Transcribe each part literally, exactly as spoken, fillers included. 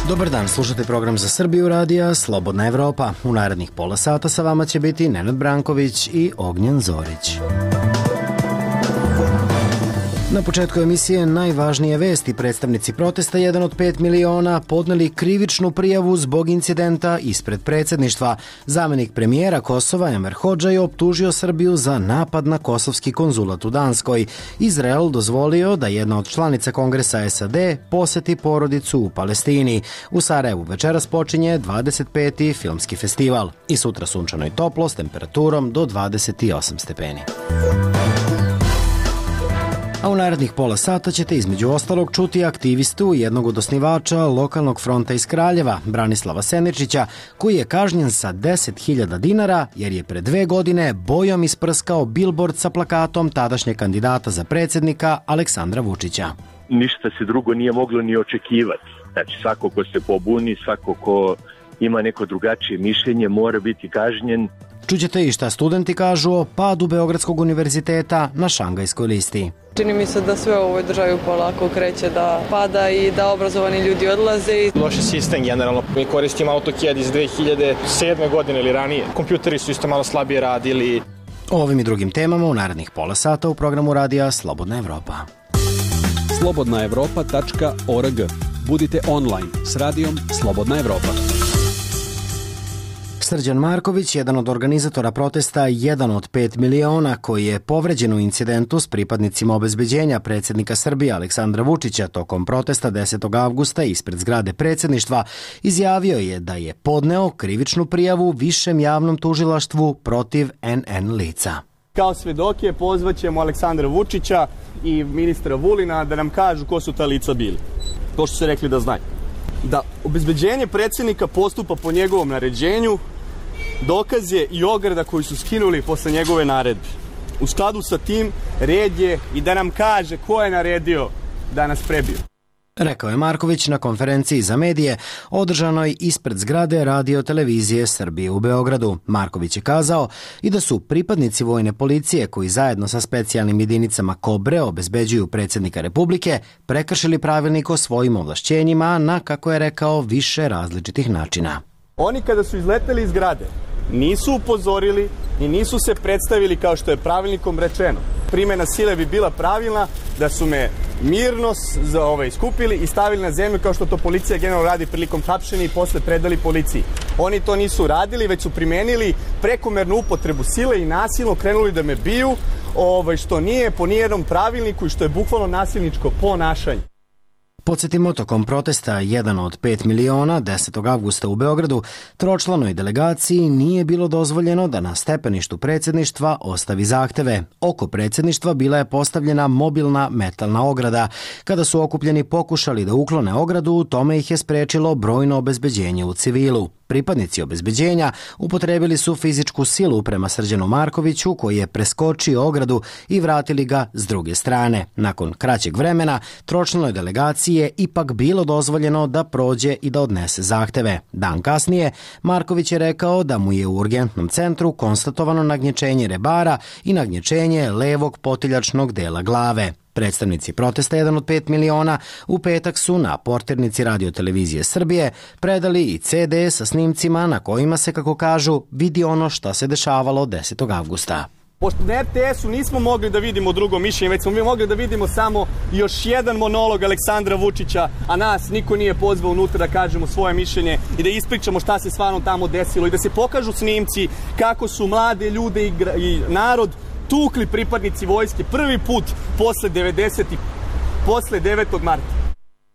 Dobar dan, slušate program za Srbiju radija Slobodna Evropa. U narednih pola sata sa vama će biti Nenad Branković i Ognjen Zorić. Na početku emisije najvažnije vesti. Predstavnici protesta jedan od pet miliona podneli krivičnu prijavu zbog incidenta ispred predsjedništva. Zamenik premijera Kosova Enver Hodža je optužio Srbiju za napad na kosovski konzulat u Danskoj. Izrael dozvolio da jedna od članica Kongresa S A D poseti porodicu u Palestini. U Sarajevu večeras počinje dvadeset peti filmski festival. I sutra sunčano i toplo s temperaturom do dvadeset osam stepeni. A u narednih pola sata ćete između ostalog čuti aktivistu jednog od osnivača lokalnog fronta iz Kraljeva, Branislava Seničića, koji je kažnjen sa deset hiljada dinara jer je pre dve godine bojom isprskao bilbord sa plakatom tadašnjeg kandidata za predsjednika Aleksandra Vučića. Ništa se drugo nije moglo ni očekivati. Znači, svako ko se pobuni, svako ko ima neko drugačije mišljenje mora biti kažnjen. Čućete i šta studenti kažu o padu Beogradskog univerziteta na Šangajskoj listi. Čini mi se da sve u ovoj državi polako kreće da pada i da obrazovani ljudi odlaze. Loši sistem generalno. Mi koristimo AutoCAD iz dve hiljade sedme godine ili ranije. Kompjuteri su isto malo slabije radili. O ovim i drugim temama u narednih pola sata u programu radija Slobodna Evropa. slobodna evropa tačka org. Budite online s radijom Slobodna Evropa. Srđan Marković, jedan od organizatora protesta jedan od pet miliona koji je povređen u incidentu s pripadnicima obezbeđenja predsjednika Srbije Aleksandra Vučića tokom protesta desetog avgusta ispred zgrade predsjedništva, izjavio je da je podneo krivičnu prijavu Višem javnom tužilaštvu protiv N N lica. Kao svedoke pozvaćemo Aleksandra Vučića i ministra Vulina da nam kažu ko su ta lica bili. To što su rekli da znaju. Da obezbeđenje predsjednika postupa po njegovom naređenju, dokaz je i ograda koju su skinuli posle njegove naredbe. U skladu sa tim, red je i da nam kaže ko je naredio da nas prebiju. Rekao je Marković na konferenciji za medije održanoj ispred zgrade Radio televizije Srbije u Beogradu. Marković je kazao i da su pripadnici vojne policije koji zajedno sa specijalnim jedinicama Kobre obezbeđuju predsjednika Republike prekršili pravilnik o svojim ovlašćenjima na, kako je rekao, više različitih načina. Oni kada su izleteli iz zgrade nisu upozorili i nisu se predstavili kao što je pravilnikom rečeno. Primjena sile bi bila pravilna da su me mirno za ovaj skupili i stavili na zemlju kao što to policija generalno radi prilikom hapšenja i posle predali policiji. Oni to nisu radili, već su primenili prekomernu upotrebu sile i nasilno krenuli da me biju, ovaj, što nije po nijednom pravilniku i što je bukvalno nasilničko ponašanje. Podsjetimo, tokom protesta jedan od pet miliona desetog avgusta u Beogradu tročlanoj delegaciji nije bilo dozvoljeno da na stepeništu predsjedništva ostavi zahteve. Oko predsjedništva bila je postavljena mobilna metalna ograda. Kada su okupljeni pokušali da uklone ogradu, tome ih je sprečilo brojno obezbeđenje u civilu. Pripadnici obezbeđenja upotrebili su fizičku silu prema Srđanu Markoviću, koji je preskočio ogradu i vratili ga s druge strane. Nakon kraćeg vremena, tročlanoj delegaciji je ipak bilo dozvoljeno da prođe i da odnese zahteve. Dan kasnije, Marković je rekao da mu je u urgentnom centru konstatovano nagnječenje rebara i nagnječenje levog potiljačnog dela glave. Predstavnici protesta jedan od pet miliona u petak su na portirnici Radio televizije Srbije predali i ce de sa snimcima na kojima se, kako kažu, vidi ono što se dešavalo desetog avgusta. Pošto na er te esu nismo mogli da vidimo drugo mišljenje, već smo mi mogli da vidimo samo još jedan monolog Aleksandra Vučića, a nas niko nije pozvao unutra da kažemo svoje mišljenje i da ispričamo šta se stvarno tamo desilo i da se pokažu snimci kako su mlade ljude i, i narod tukli pripadnici vojske prvi put posle devedesetih, posle devetog marta.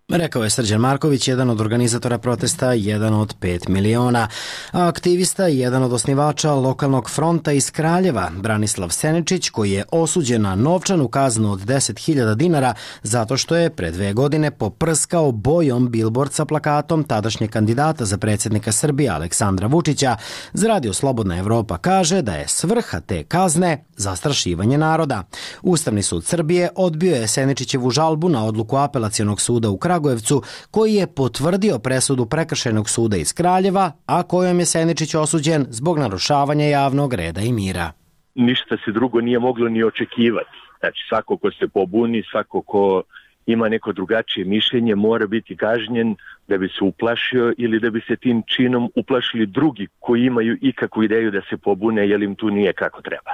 Rekao je Srđan Marković, jedan od organizatora protesta jedan od pet miliona. A aktivista i jedan od osnivača lokalnog fronta iz Kraljeva, Branislav Seničić, koji je osuđen na novčanu kaznu od deset hiljada dinara zato što je pre dve godine poprskao bojom bilbord sa plakatom tadašnjeg kandidata za predsjednika Srbije Aleksandra Vučića, za Radio Slobodna Evropa kaže da je svrha te kazne zastrašivanje naroda. Ustavni sud Srbije odbio je Seničićevu žalbu na odluku Apelacionog suda u Kragujevcu, koji je potvrdio presudu Prekršajnog suda iz Kraljeva, a kojom je Seničić osuđen zbog narušavanja javnog reda i mira. Ništa se drugo nije moglo ni očekivati. Znači, svako ko se pobuni, svako ko ima neko drugačije mišljenje mora biti kažnjen da bi se uplašio ili da bi se tim činom uplašili drugi koji imaju ikakvu ideju da se pobune jer im tu nije kako treba.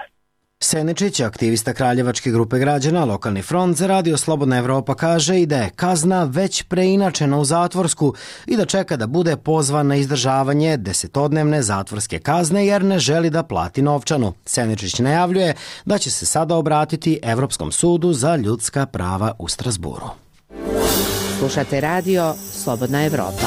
Seničić, aktivista Kraljevačke grupe građana, Lokalni front za Radio Slobodna Evropa, kaže i da je kazna već preinačena u zatvorsku i da čeka da bude pozvan na izdržavanje desetodnevne zatvorske kazne jer ne želi da plati novčanu. Seničić najavljuje da će se sada obratiti Evropskom sudu za ljudska prava u Strazburu. Slušate Radio Slobodna Evropa.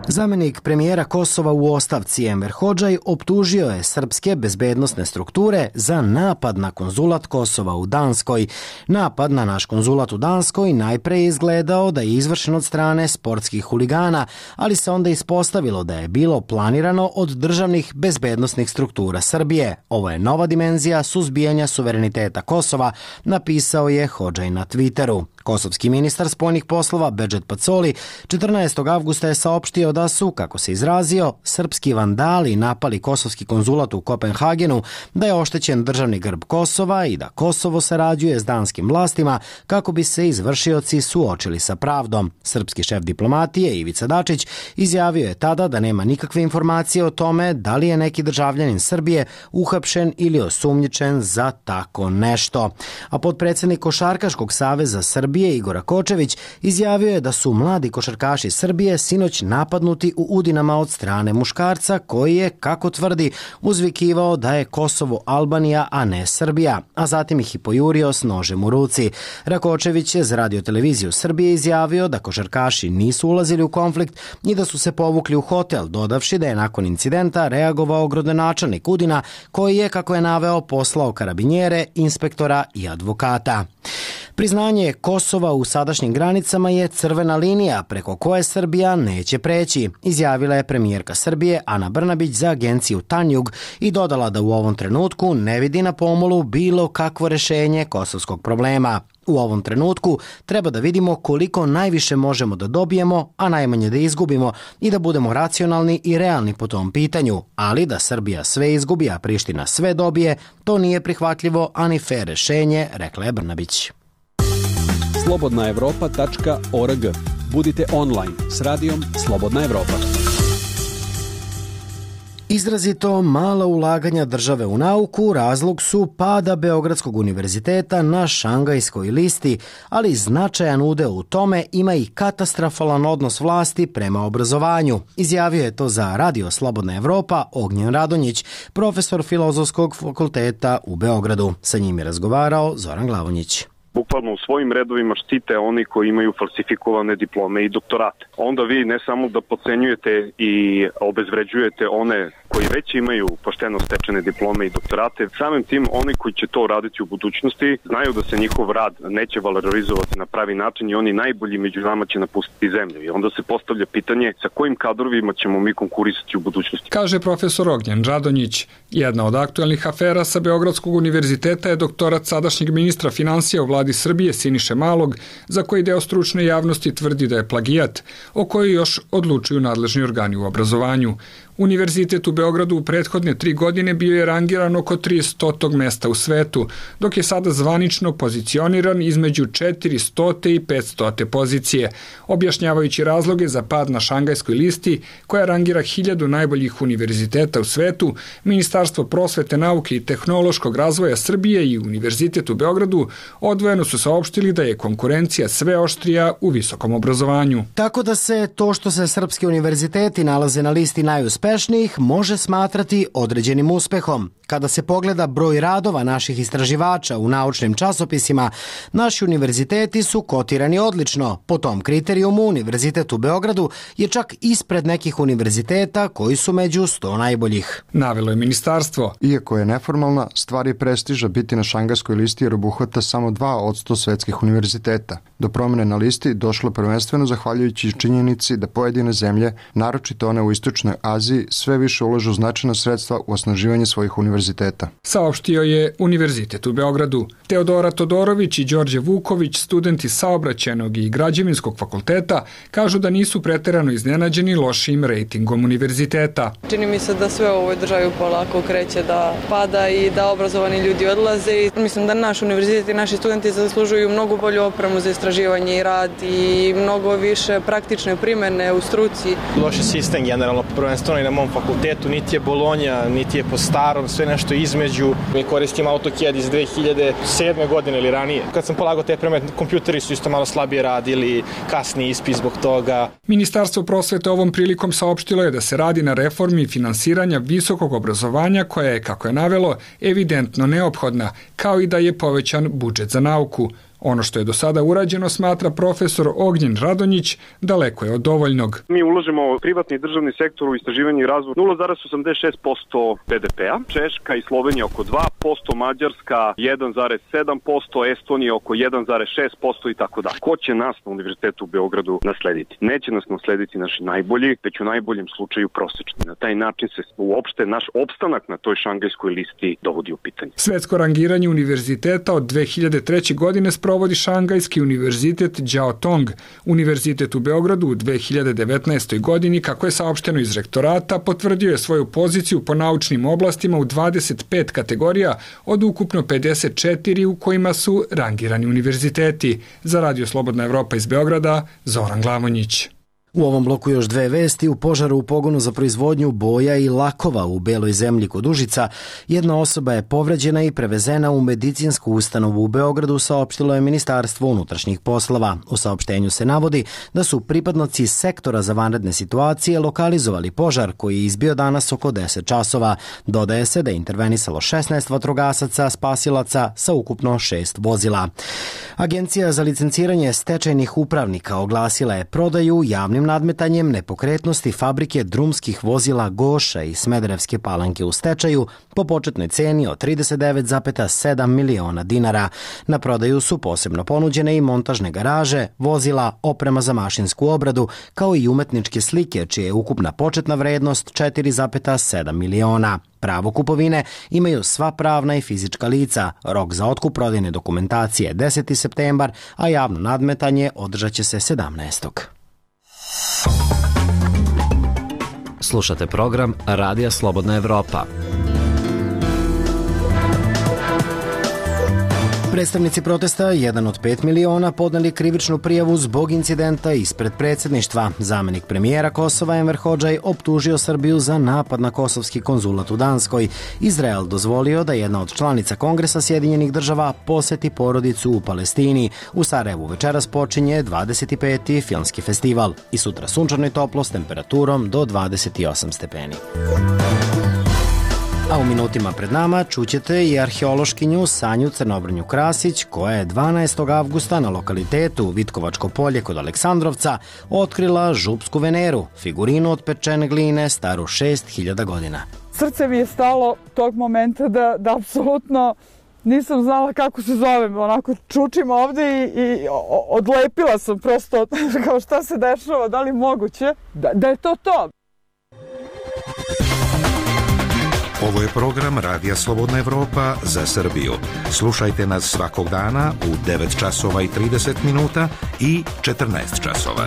Zamenik premijera Kosova u ostavci Enver Hodžaj optužio je srpske bezbednosne strukture za napad na konzulat Kosova u Danskoj. Napad na naš konzulat u Danskoj najpre je izgledao da je izvršen od strane sportskih huligana, ali se onda ispostavilo da je bilo planirano od državnih bezbednosnih struktura Srbije. Ovo je nova dimenzija suzbijanja suvereniteta Kosova, napisao je Hodžaj na Twitteru. Kosovski ministar spoljnih poslova Bedžet Pacoli četrnaestog avgusta je saopštio da su, kako se izrazio, srpski vandali napali kosovski konzulat u Kopenhagenu, da je oštećen državni grb Kosova i da Kosovo sarađuje s danskim vlastima kako bi se izvršioci suočili sa pravdom. Srpski šef diplomatije Ivica Dačić izjavio je tada da nema nikakve informacije o tome da li je neki državljanin Srbije uhapšen ili osumnjičen za tako nešto. A potpredsednik Košarkaškog saveza Srbije Igor Kočević izjavio je da su mladi košarkaši Srbije sinoć napadnuti u Udinama od strane muškarca koji je, kako tvrdi, uzvikivao da je Kosovo Albanija, a ne Srbija, a zatim ih i pojurio s nožem u ruci. Rakočević je za radioteleviziju Srbije izjavio da košarkaši nisu ulazili u konflikt i da su se povukli u hotel, dodavši da je nakon incidenta reagovao gradonačelnik Udina koji je, kako je naveo, poslao karabinjere, inspektora i advokata. Priznanje Kosova u sadašnjim granicama je crvena linija preko koje Srbija neće preći, izjavila je premijerka Srbije Ana Brnabić za agenciju Tanjug i dodala da u ovom trenutku ne vidi na pomolu bilo kakvo rešenje kosovskog problema. U ovom trenutku treba da vidimo koliko najviše možemo da dobijemo, a najmanje da izgubimo i da budemo racionalni i realni po tom pitanju, ali da Srbija sve izgubi, a Priština sve dobije, to nije prihvatljivo, ani fer rešenje, rekla je Brnabić. slobodna evropa tačka org. Budite online s radijom Slobodna Evropa. Izrazito mala ulaganja države u nauku razlog su pada Beogradskog univerziteta na Šangajskoj listi, ali značajan udeo u tome ima i katastrofalan odnos vlasti prema obrazovanju. Izjavio je to za Radio Slobodna Evropa Ognjen Radonjić, profesor Filozofskog fakulteta u Beogradu. Sa njim je razgovarao Zoran Glavonjić. Bukvalno u svojim redovima štite oni koji imaju falsifikovane diplome i doktorate. Onda vi ne samo da podcenjujete i obezvređujete one koji već imaju pošteno stečene diplome i doktorate, samim tim oni koji će to raditi u budućnosti znaju da se njihov rad neće valorizovati na pravi način i oni najbolji među nama će napustiti zemlju. I onda se postavlja pitanje sa kojim kadrovima ćemo mi konkurisati u budućnosti. Kaže profesor Ognjen Radonjić. Jedna od aktuelnih afera sa Beogradskog univerziteta je doktorat sadašnjeg ministra finansija u vladi Srbije Siniše Malog, za koji deo stručne javnosti tvrdi da je plagijat, o kojoj još odlučuju nadležni organi u obrazovanju. Univerzitet u Beogradu u prethodne tri godine bio je rangiran oko tristotog mesta u svetu, dok je sada zvanično pozicioniran između četiristote i petstote pozicije, objašnjavajući razloge za pad na Šangajskoj listi koja rangira hiljadu najboljih univerziteta u svetu. Ministarstvo prosvete, nauke i tehnološkog razvoja Srbije i Univerzitet u Beogradu odvojeno su saopštili da je konkurencija sve oštrija u visokom obrazovanju. Tako da se to što se srpski univerziteti nalaze na listi najuspešnijih može smatrati određenim uspehom. Kada se pogleda broj radova naših istraživača u naučnim časopisima, naši univerziteti su kotirani odlično. Po tom kriterijumu Univerzitet u Beogradu je čak ispred nekih univerziteta koji su među sto najboljih. Navelo je ministarstvo. Iako je neformalna, stvar je prestiža biti na Šangajskoj listi jer obuhvata samo dva od sto svetskih univerziteta. Do promene na listi došlo prvenstveno zahvaljujući činjenici da pojedine zemlje, naročito one u istočnoj Aziji, sve više ulažu značajna sredstva u osnaživanje svojih univerziteta. univerziteta. Saopštio je Univerzitet u Beogradu. Teodora Todorović i Đorđe Vuković, studenti Saobraćajnog i Građevinskog fakulteta, kažu da nisu preterano iznenađeni lošim rejtingom univerziteta. Čini mi se da sve u ovoj državi polako kreće da pada i da obrazovani ljudi odlaze. I mislim da naš univerzitet i naši studenti zaslužuju mnogo bolju opremu za istraživanje i rad i mnogo više praktične primene u struci. Loš je sistem generalno, prvenstveno i na mom fakultetu, niti je Bolonja, niti je po starom, sve nešto između. Mi koristimo AutoCAD iz dve hiljade sedme godine ili ranije. Kad sam polagao te predmete, kompjuteri su isto malo slabije radili, kasni ispit zbog toga. Ministarstvo prosvete ovom prilikom saopštilo je da se radi na reformi finansiranja visokog obrazovanja koja je, kako je navelo, evidentno neophodna, kao i da je povećan budžet za nauku. Ono što je do sada urađeno, smatra profesor Ognjen Radonjić, daleko je od dovoljnog. Mi ulažemo privatni i državni sektor u istraživanje i razvoj nula zarez osamdeset šest posto be de pea, Češka i Slovenija oko dva posto, Mađarska jedan zarez sedam posto, Estonija oko jedan zarez šest posto i tako dalje. Ko će nas na Univerzitetu u Beogradu naslediti? Neće nas naslediti naši najbolji, već u najboljem slučaju prosečni. Na taj način se uopšte naš opstanak na toj šangajskoj listi dovodi u pitanje. Svetsko rangiranje univerziteta od dve hiljade treće. godine sprovodi Šangajski univerzitet Đao Tong. Univerzitet u Beogradu u dve hiljade devetnaestoj. godini, kako je saopšteno iz rektorata, potvrdio je svoju poziciju po naučnim oblastima u dvadeset pet kategorija od ukupno pedeset četiri u kojima su rangirani univerziteti. Za Radio Slobodna Evropa iz Beograda, Zoran Glavonjić. U ovom bloku još dve vesti. U požaru u pogonu za proizvodnju boja i lakova u Beloj zemlji kod Užica jedna osoba je povređena i prevezena u medicinsku ustanovu u Beogradu, saopštilo je Ministarstvo unutrašnjih poslova. U saopštenju se navodi da su pripadnici sektora za vanredne situacije lokalizovali požar koji je izbio danas oko deset časova. Dodaje se da je intervenisalo šesnaest vatrogasaca, spasilaca sa ukupno šest vozila. Agencija za licenciranje stečajnih upravnika oglasila je prodaju javnim nadmetanjem nepokretnosti fabrike drumskih vozila Goša i Smederevske Palanke u stečaju po početnoj ceni od trideset devet zarez sedam miliona dinara. Na prodaju su posebno ponuđene i montažne garaže, vozila, oprema za mašinsku obradu, kao i umetničke slike, čija je ukupna početna vrednost četiri zarez sedam miliona. Pravo kupovine imaju sva pravna i fizička lica. Rok za otkup prodajne dokumentacije je deseti septembar, a javno nadmetanje održat će se sedamnaestog Slušate program Radija Slobodna Evropa. Predstavnici protesta, jedan od pet miliona, podneli krivičnu prijavu zbog incidenta ispred predsjedništva. Zamenik premijera Kosova Enver Hodžaj optužio Srbiju za napad na kosovski konzulat u Danskoj. Izrael dozvolio da jedna od članica Kongresa Sjedinjenih država poseti porodicu u Palestini. U Sarajevu večeras počinje dvadeset peti filmski festival i sutra sunčano i toplo s temperaturom do dvadeset osam stepeni. A u minutima pred nama čućete i arheološkinju Sanju Crnobrnju Krasić, koja je dvanaestog avgusta na lokalitetu Vitkovačko polje kod Aleksandrovca otkrila župsku Veneru, figurinu od pečene gline staru šest hiljada godina. Srce mi je stalo tog momenta da, da apsolutno nisam znala kako se zovem, onako čučim ovde i, i odlepila sam prosto kao šta se dešava, da li moguće, da, da je to to. Ovo je program Radija Slobodna Evropa za Srbiju. Slušajte nas svakog dana u devet časova i trideset minuta i četrnaest časova.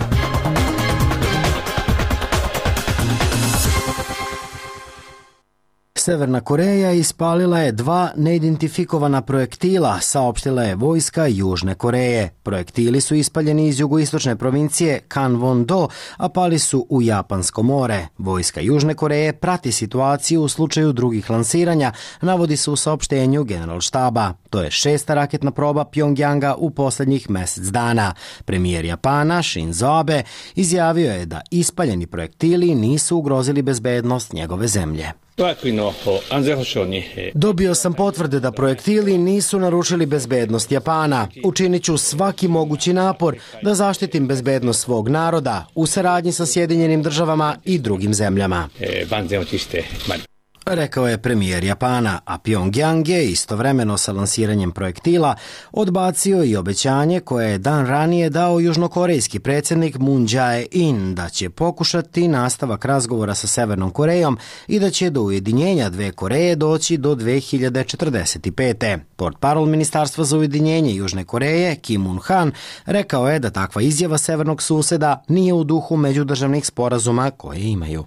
Severna Koreja ispalila je dva neidentifikovana projektila, saopštila je vojska Južne Koreje. Projektili su ispaljeni iz jugoistočne provincije Kanwon-do, a pali su u Japansko more. Vojska Južne Koreje prati situaciju u slučaju drugih lansiranja, navodi se u saopštenju Generalštaba. To je šesta raketna proba Pjongjanga u posljednjih mesec dana. Premijer Japana Shinzo Abe izjavio je da ispaljeni projektili nisu ugrozili bezbednost njegove zemlje. Dobio sam potvrde da projektili nisu narušili bezbednost Japana. Učinit ću svaki mogući napor da zaštitim bezbednost svog naroda u saradnji sa Sjedinjenim državama i drugim zemljama. rekao je premijer Japana, a Pyongyang je istovremeno sa lansiranjem projektila odbacio i obećanje koje je dan ranije dao južnokorejski predsjednik Moon Jae-in da će pokušati nastavak razgovora sa Severnom Korejom i da će do ujedinjenja dve Koreje doći do dve hiljade četrdeset pete. Portparol Ministarstva za ujedinjenje Južne Koreje, Kim Un-han, rekao je da takva izjava severnog suseda nije u duhu međudržavnih sporazuma koje imaju.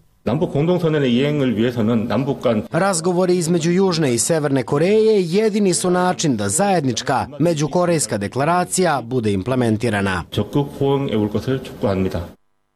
Razgovori između Južne i Severne Koreje jedini su način da zajednička međukorejska deklaracija bude implementirana.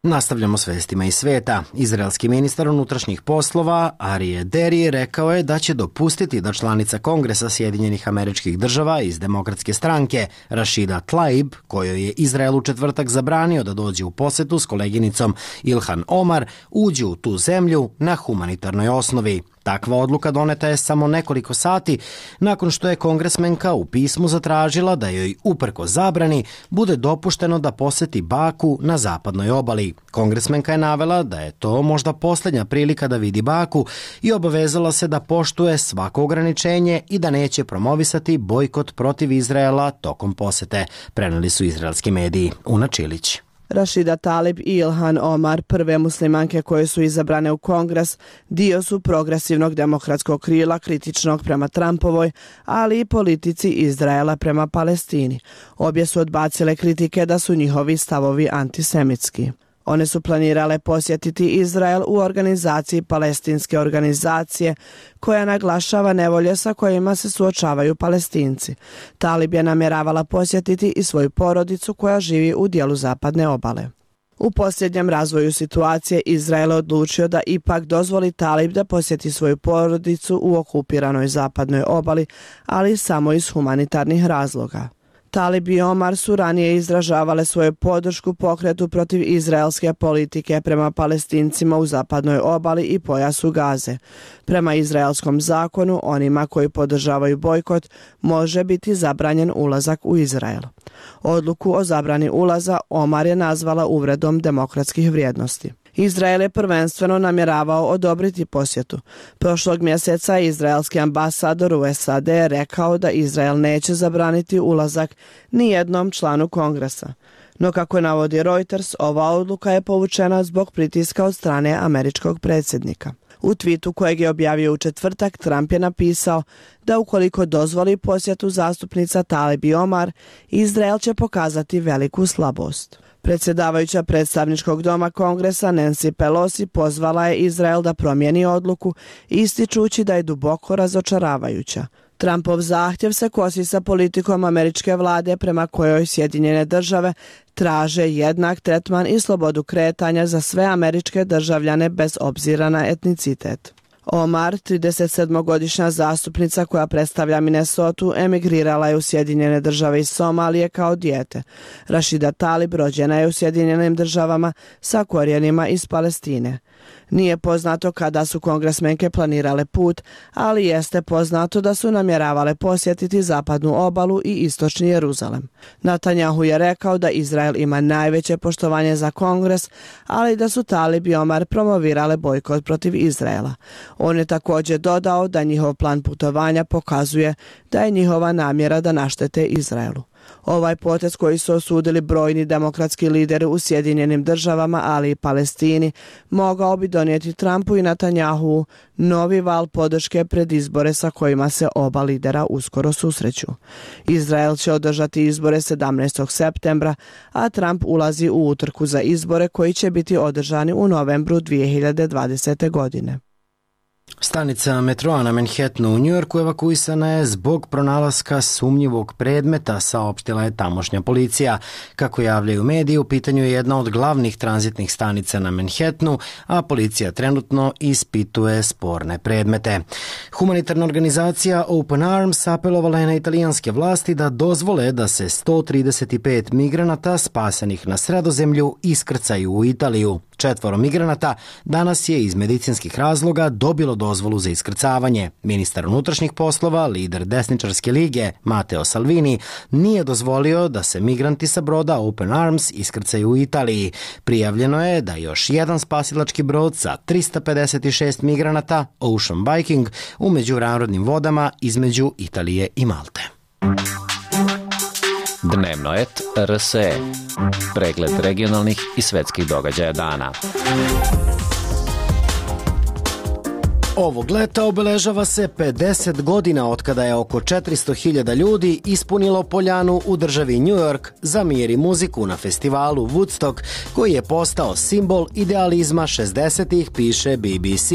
Nastavljamo s vestima iz sveta. Izraelski ministar unutrašnjih poslova Arije Deri rekao je da će dopustiti da članica Kongresa Sjedinjenih Američkih Država iz Demokratske stranke Rashida Tlaib, kojoj je Izrael u četvrtak zabranio da dođe u posetu s koleginicom Ilhan Omar, uđe u tu zemlju na humanitarnoj osnovi. Takva odluka doneta je samo nekoliko sati nakon što je kongresmenka u pismu zatražila da joj uprko zabrani bude dopušteno da poseti Baku na zapadnoj obali. Kongresmenka je navela da je to možda posljednja prilika da vidi Baku i obavezala se da poštuje svako ograničenje i da neće promovisati bojkot protiv Izraela tokom posete, preneli su izraelski mediji. Una Čilić. Rashida Tlaib i Ilhan Omar, prve muslimanke koje su izabrane u Kongres, dio su progresivnog demokratskog krila kritičnog prema Trumpovoj, ali i politici Izraela prema Palestini. Obje su odbacile kritike da su njihovi stavovi antisemitski. One su planirale posjetiti Izrael u organizaciji palestinske organizacije koja naglašava nevolje sa kojima se suočavaju Palestinci. Tlaib je namjeravala posjetiti i svoju porodicu koja živi u dijelu zapadne obale. U posljednjem razvoju situacije Izrael je odlučio da ipak dozvoli Tlaib da posjeti svoju porodicu u okupiranoj zapadnoj obali, ali samo iz humanitarnih razloga. Tlaib i Omar su ranije izražavale svoju podršku pokretu protiv izraelske politike prema Palestincima u zapadnoj obali i pojasu Gaze. Prema izraelskom zakonu, onima koji podržavaju bojkot može biti zabranjen ulazak u Izrael. Odluku o zabrani ulaza Omar je nazvala uvredom demokratskih vrijednosti. Izrael je prvenstveno namjeravao odobriti posjetu. Prošlog mjeseca izraelski ambasador u S A D je rekao da Izrael neće zabraniti ulazak ni jednom članu Kongresa. No kako navodi Reuters, ova odluka je povučena zbog pritiska od strane američkog predsjednika. U twitu kojeg je objavio u četvrtak, Trump je napisao da ukoliko dozvoli posjetu zastupnica Tlaib i Omar, Izrael će pokazati veliku slabost. Predsjedavajuća predstavničkog doma Kongresa Nancy Pelosi pozvala je Izrael da promijeni odluku, ističući da je duboko razočaravajuća. Trumpov zahtjev se kosi sa politikom američke vlade prema kojoj Sjedinjene države traže jednak tretman i slobodu kretanja za sve američke državljane bez obzira na etnicitet. Omar, tridesetsedmogodišnja zastupnica koja predstavlja Minnesotu, emigrirala je u Sjedinjene države iz Somalije kao dijete. Rashida Tlaib rođena je u Sjedinjenim državama sa korijenima iz Palestine. Nije poznato kada su kongresmenke planirale put, ali jeste poznato da su namjeravale posjetiti zapadnu obalu i istočni Jeruzalem. Netanjahu je rekao da Izrael ima najveće poštovanje za Kongres, ali da su Tlaib i Omar promovirale bojkot protiv Izraela. On je također dodao da njihov plan putovanja pokazuje da je njihova namjera da naštete Izraelu. Ovaj potez koji su osudili brojni demokratski lideri u Sjedinjenim državama, ali i Palestini, mogao bi donijeti Trumpu i Netanjahu novi val podrške pred izbore sa kojima se oba lidera uskoro susreću. Izrael će održati izbore sedamnaestog septembra, a Trump ulazi u utrku za izbore koji će biti održani u novembru dvije hiljade dvadesete. godine. Stanica metroa na Manhattanu u Njujorku evakuisana je zbog pronalaska sumnjivog predmeta, saopštila je tamošnja policija. Kako javljaju mediji, u pitanju je jedna od glavnih tranzitnih stanica na Manhattanu, a policija trenutno ispituje sporne predmete. Humanitarna organizacija Open Arms apelovala je na italijanske vlasti da dozvole da se sto trideset pet migranata spasenih na Sredozemlju iskrcaju u Italiju. Četvoro migranata danas je iz medicinskih razloga dobilo dozvolu za iskrcavanje. Ministar unutrašnjih poslova, lider desničarske lige Matteo Salvini, nije dozvolio da se migranti sa broda Open Arms iskrcaju u Italiji. Prijavljeno je da još jedan spasilački brod sa trista pedeset šest migranata, Ocean Viking, u međunarodnim vodama između Italije i Malte. Dnevno et R S E. Pregled regionalnih i svetskih događaja dana. Ovog leta obeležava se pedeset godina od kada je oko četiristo hiljada ljudi ispunilo poljanu u državi New York za mir i muziku na festivalu Woodstock, koji je postao simbol idealizma šezdesetih, piše B B C.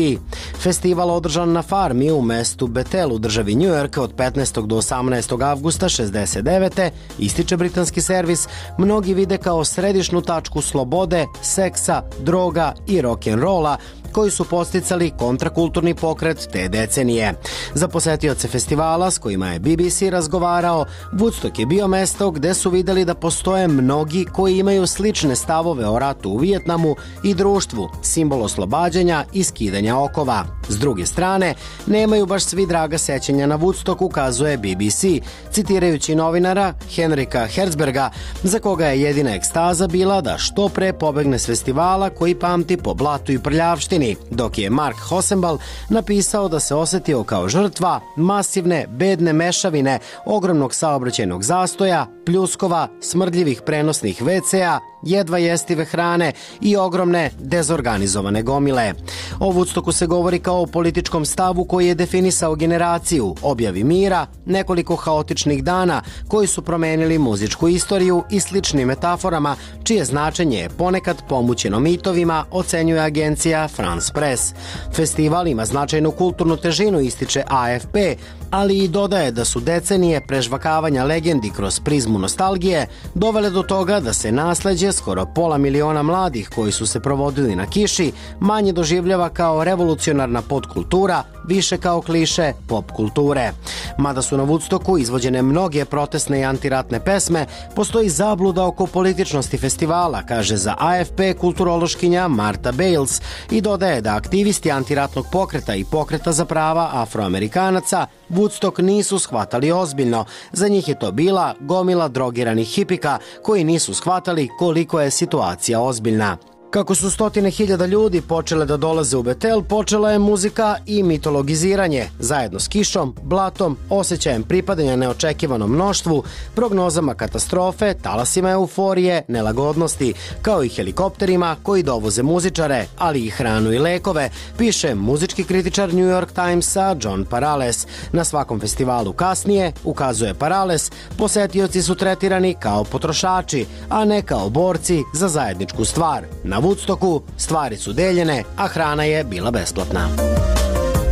Festival održan na farmi u mestu Bethel u državi New York od petnaestog do osamnaestog avgusta šezdeset devete. ističe britanski servis, mnogi vide kao središnu tačku slobode, seksa, droga i rock'n'rolla, koji su posticali kontrakulturni pokret te decenije. Za posetioce festivala s kojima je B B C razgovarao, Woodstock je bio mesto gde su videli da postoje mnogi koji imaju slične stavove o ratu u Vijetnamu i društvu, simbol oslobađanja i skidanja okova. S druge strane, nemaju baš svi draga sećanja na Woodstock, ukazuje B B C, citirajući novinara Henrika Herzberga, za koga je jedina ekstaza bila da što pre pobegne s festivala koji pamti po blatu i prljavštini, dok je Mark Hosenbal napisao da se osetio kao žrtva masivne, bedne mešavine, ogromnog saobraćajnog zastoja, pljuskova, smrdljivih prenosnih ve ce a, jedva jestive hrane i ogromne dezorganizovane gomile. O Woodstocku se govori kao o političkom stavu koji je definisao generaciju, objavi mira, nekoliko haotičnih dana koji su promenili muzičku istoriju i sličnim metaforama, čije značenje je ponekad pomućeno mitovima, ocenjuje agencija France Press. Festival ima značajnu kulturnu težinu, ističe A F P, ali i dodaje da su decenije prežvakavanja legendi kroz prizmu nostalgije dovele do toga da se nasleđe skoro pola miliona mladih koji su se provodili na kiši manje doživljava kao revolucionarna podkultura, više kao kliše pop kulture. Mada su na Woodstocku izvođene mnoge protestne i antiratne pesme, postoji zabluda oko političnosti festivala, kaže za A F P kulturološkinja Marta Bales, i dodaje da aktivisti antiratnog pokreta i pokreta za prava Afroamerikanaca Woodstock nisu shvatali ozbiljno. Za njih je to bila gomila drogiranih hipika koji nisu shvatali koliko je situacija ozbiljna. Kako su stotine hiljada ljudi počele da dolaze u Bethel, počela je muzika i mitologiziranje, zajedno s kišom, blatom, osjećajem pripadanja neočekivanom mnoštvu, prognozama katastrofe, talasima euforije, nelagodnosti, kao i helikopterima koji dovoze muzičare, ali i hranu i lekove, piše muzički kritičar New York Timesa John Parales. Na svakom festivalu kasnije, ukazuje Parales, posetioci su tretirani kao potrošači, a ne kao borci za zajedničku stvar. Na Woodstocku stvari su deljene, a hrana je bila besplatna.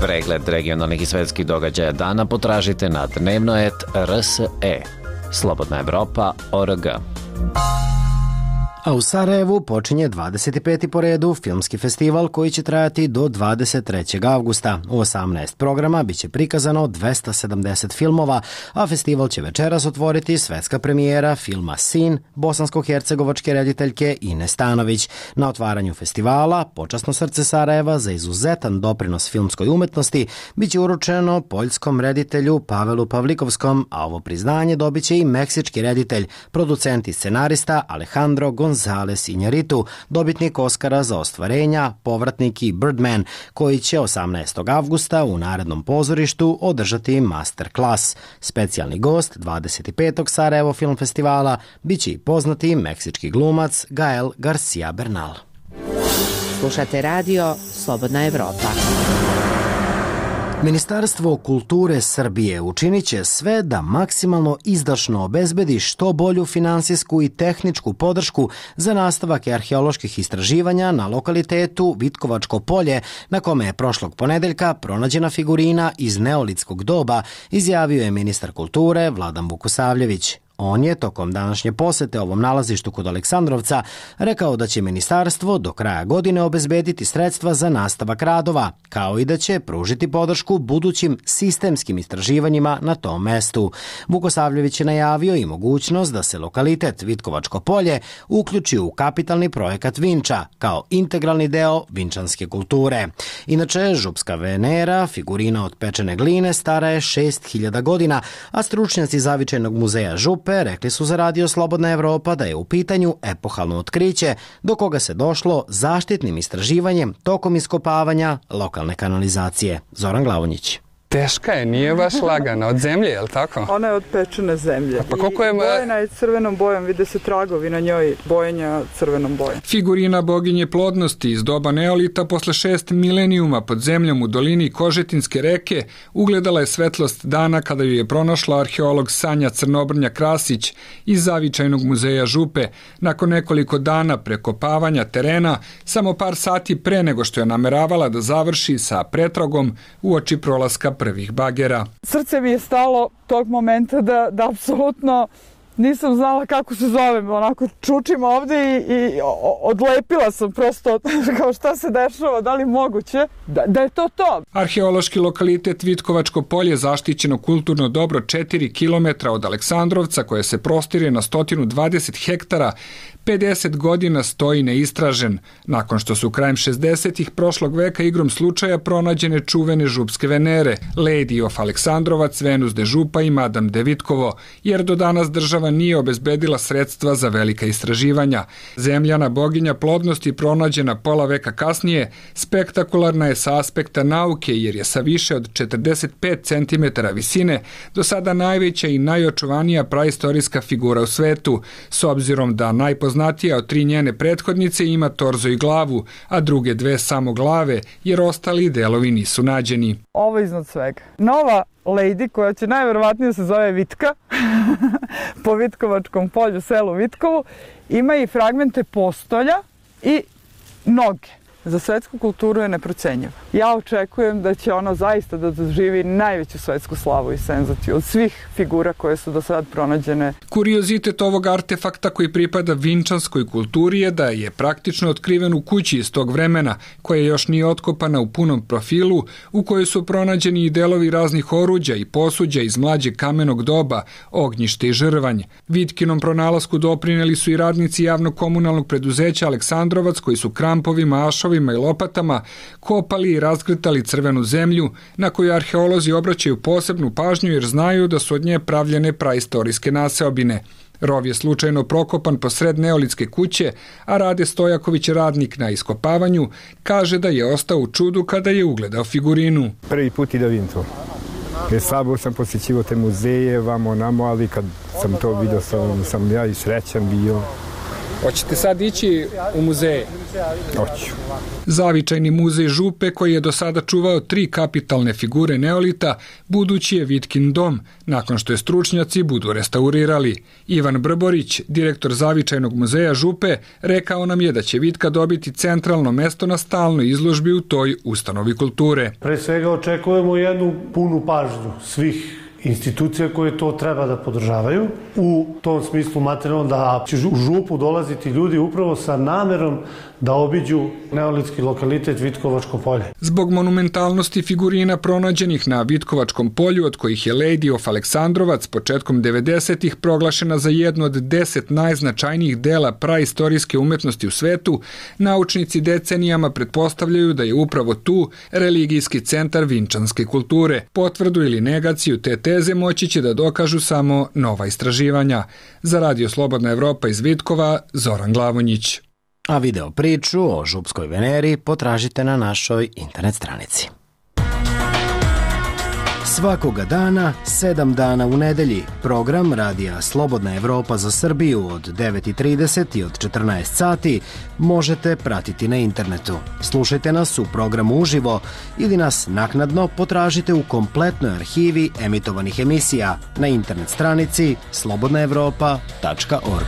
Pregled regionalnih i svetskih događaja dana potražite na dnevno et R S E. Slobodna Evropa O R G. A u Sarajevu počinje dvadeset peti po redu filmski festival koji će trajati do dvadeset trećeg avgusta. U osamnaest programa biće prikazano dvesta sedamdeset filmova, a festival će večeras otvoriti svetska premijera filma Sin bosansko-hercegovačke rediteljke Ine Stanović. Na otvaranju festivala Počasno srce Sarajeva za izuzetan doprinos filmskoj umetnosti biće uručeno poljskom reditelju Pavelu Pavlikovskom, a ovo priznanje dobit će i meksički reditelj, producent i scenarista Alejandro González Iñárritu, dobitnik Oskara za ostvarenja, povratnik i Birdman, koji će osamnaestog avgusta u Narodnom pozorištu održati masterclass. Specijalni gost dvadeset petog Sarajevo film festivala biće i poznati meksički glumac Gael Garcia Bernal. Slušate radio Slobodna Evropa. Ministarstvo kulture Srbije učinit će sve da maksimalno izdašno obezbedi što bolju finansijsku i tehničku podršku za nastavak arheoloških istraživanja na lokalitetu Vitkovačko polje, na kome je prošlog ponedeljka pronađena figurina iz neolitskog doba, izjavio je ministar kulture Vladan Vukosavljević. On je tokom današnje posete ovom nalazištu kod Aleksandrovca rekao da će ministarstvo do kraja godine obezbediti sredstva za nastavak radova, kao i da će pružiti podršku budućim sistemskim istraživanjima na tom mestu. Vukosavljević je najavio i mogućnost da se lokalitet Vitkovačko polje uključi u kapitalni projekat Vinča kao integralni deo vinčanske kulture. Inače, župska Venera, figurina od pečene gline, stara je šest hiljada godina, a stručnjaci Zavičajnog muzeja Župe rekli su za Radio Slobodna Evropa da je u pitanju epohalno otkriće do koga se došlo zaštitnim istraživanjem tokom iskopavanja lokalne kanalizacije. Zoran Glavonjić. Teška je, nije baš lagana, od zemlje, je li tako? Ona je od pečene zemlje. Pa koliko je... Bojena je crvenom bojom, vide se tragovi na njoj bojenja crvenom bojom. Figurina boginje plodnosti iz doba neolita posle šest milenijuma pod zemljom u dolini Kožetinske reke ugledala je svetlost dana kada ju je pronašla arheolog Sanja Crnobrnja Krasić iz Zavičajnog muzeja Župe nakon nekoliko dana prekopavanja terena, samo par sati pre nego što je nameravala da završi sa pretragom uoči prolaska prvih bagera. Srce mi je stalo tog momenta da, da apsolutno nisam znala kako se zovem, onako čučim ovde i, i odlepila sam prosto kao šta se dešava, da li moguće, da, da je to to. Arheološki lokalitet Vitkovačko polje zaštićeno kulturno dobro četiri kilometra od Aleksandrovca koje se prostire na sto dvadeset hektara, pedeset godina stoji neistražen, nakon što su krajem šezdesetih prošlog veka igrom slučaja pronađene čuvene župske Venere, Lady of Aleksandrovac, Venus de Župa i Madame de Vitkovo, jer do danas država nije obezbedila sredstva za velika istraživanja. Zemljana boginja plodnosti pronađena pola veka kasnije spektakularna je sa aspekta nauke jer je sa više od četrdeset pet centimetara visine do sada najveća i najočuvanija praistorijska figura u svetu, s obzirom da najpoznatija od tri njene prethodnice ima torzo i glavu, a druge dve samo glave, jer ostali delovi nisu nađeni. Ovo iznad svega. Nova Lady, koja će najverovatnije se zove Vitka, po Vitkovačkom polju, selu Vitkovu, ima i fragmente postolja i noge. Za svetsku kulturu je neprocenjiva. Ja očekujem da će ona zaista da doživi najveću svetsku slavu i senzaciju od svih figura koje su do sad pronađene. Kuriozitet ovog artefakta koji pripada vinčanskoj kulturi je da je praktično otkriven u kući iz tog vremena, koja još nije otkopana u punom profilu, u kojoj su pronađeni i delovi raznih oruđa i posuđa iz mlađeg kamenog doba, ognjište i žrvanj. Vitkinom pronalasku doprineli su i radnici javnog komunalnog preduzeća Aleksandrovac koji su krampovima, ašovima i lopatama kopali i razgretali crvenu zemlju na koju arheolozi obraćaju posebnu pažnju jer znaju da su od nje pravljene praistorijske naseobine. Rov je slučajno prokopan posred neolitske kuće, a Rade Stojaković, radnik na iskopavanju, kaže da je ostao u čudu kada je ugledao figurinu. Prvi put i da vidim to. Jer slabo sam posjećivao te muzeje, vamo namo, ali kad sam to vidio sam, sam ja i srećan bio. Hoćete sad ići u muzeje? Hoću. Zavičajni muzej Župe, koji je do sada čuvao tri kapitalne figure neolita, budući je Vitkin dom, nakon što je stručnjaci budu restaurirali. Ivan Brborić, direktor Zavičajnog muzeja Župe, rekao nam je da će Vitka dobiti centralno mesto na stalnoj izložbi u toj ustanovi kulture. Pre svega očekujemo jednu punu pažnju svih institucija koje to treba da podržavaju. U tom smislu materijalno da će u Župu dolaziti ljudi upravo sa namerom da obiđu neolitski lokalitet Vitkovačko polje. Zbog monumentalnosti figurina pronađenih na Vitkovačkom polju, od kojih je Lady of Aleksandrovac početkom devedesetih proglašena za jednu od deset najznačajnijih dela praistorijske umetnosti u svetu, naučnici decenijama pretpostavljaju da je upravo tu religijski centar vinčanske kulture. Potvrdu ili negaciju te teze moći će da dokažu samo nova istraživanja. Za Radio Slobodna Evropa iz Vitkova, Zoran Glavonjić. A video priču o župskoj Veneri potražite na našoj internet stranici. Svakoga dana, sedam dana u nedelji, program Radija Slobodna Evropa za Srbiju od devet i trideset i od četrnaest sati možete pratiti na internetu. Slušajte nas u programu uživo ili nas naknadno potražite u kompletnoj arhivi emitovanih emisija na internet stranici slobodna evropa tačka org.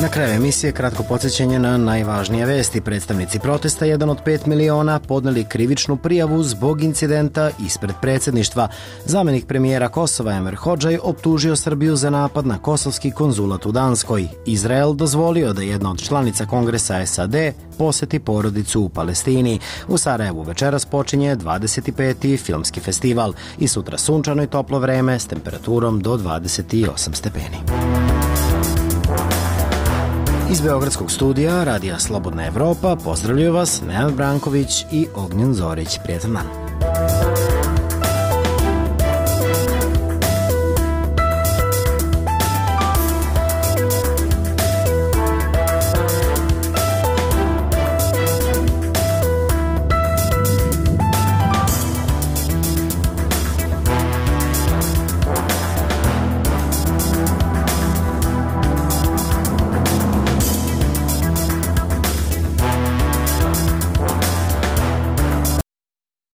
Na kraju emisije kratko podsjećanje na najvažnije vesti. Predstavnici protesta, jedan od pet miliona, podneli krivičnu prijavu zbog incidenta ispred predsjedništva. Zamenik premijera Kosova Enver Hodžaj optužio Srbiju za napad na kosovski konzulat u Danskoj. Izrael dozvolio da jedna od članica Kongresa S A D poseti porodicu u Palestini. U Sarajevu večeras počinje dvadeset peti filmski festival i sutra sunčano i toplo vreme s temperaturom do dvadeset osam stepeni. Iz Beogradskog studija Radija Slobodna Evropa pozdravljaju vas Nenad Branković i Ognjen Zorić. Prijetan dan.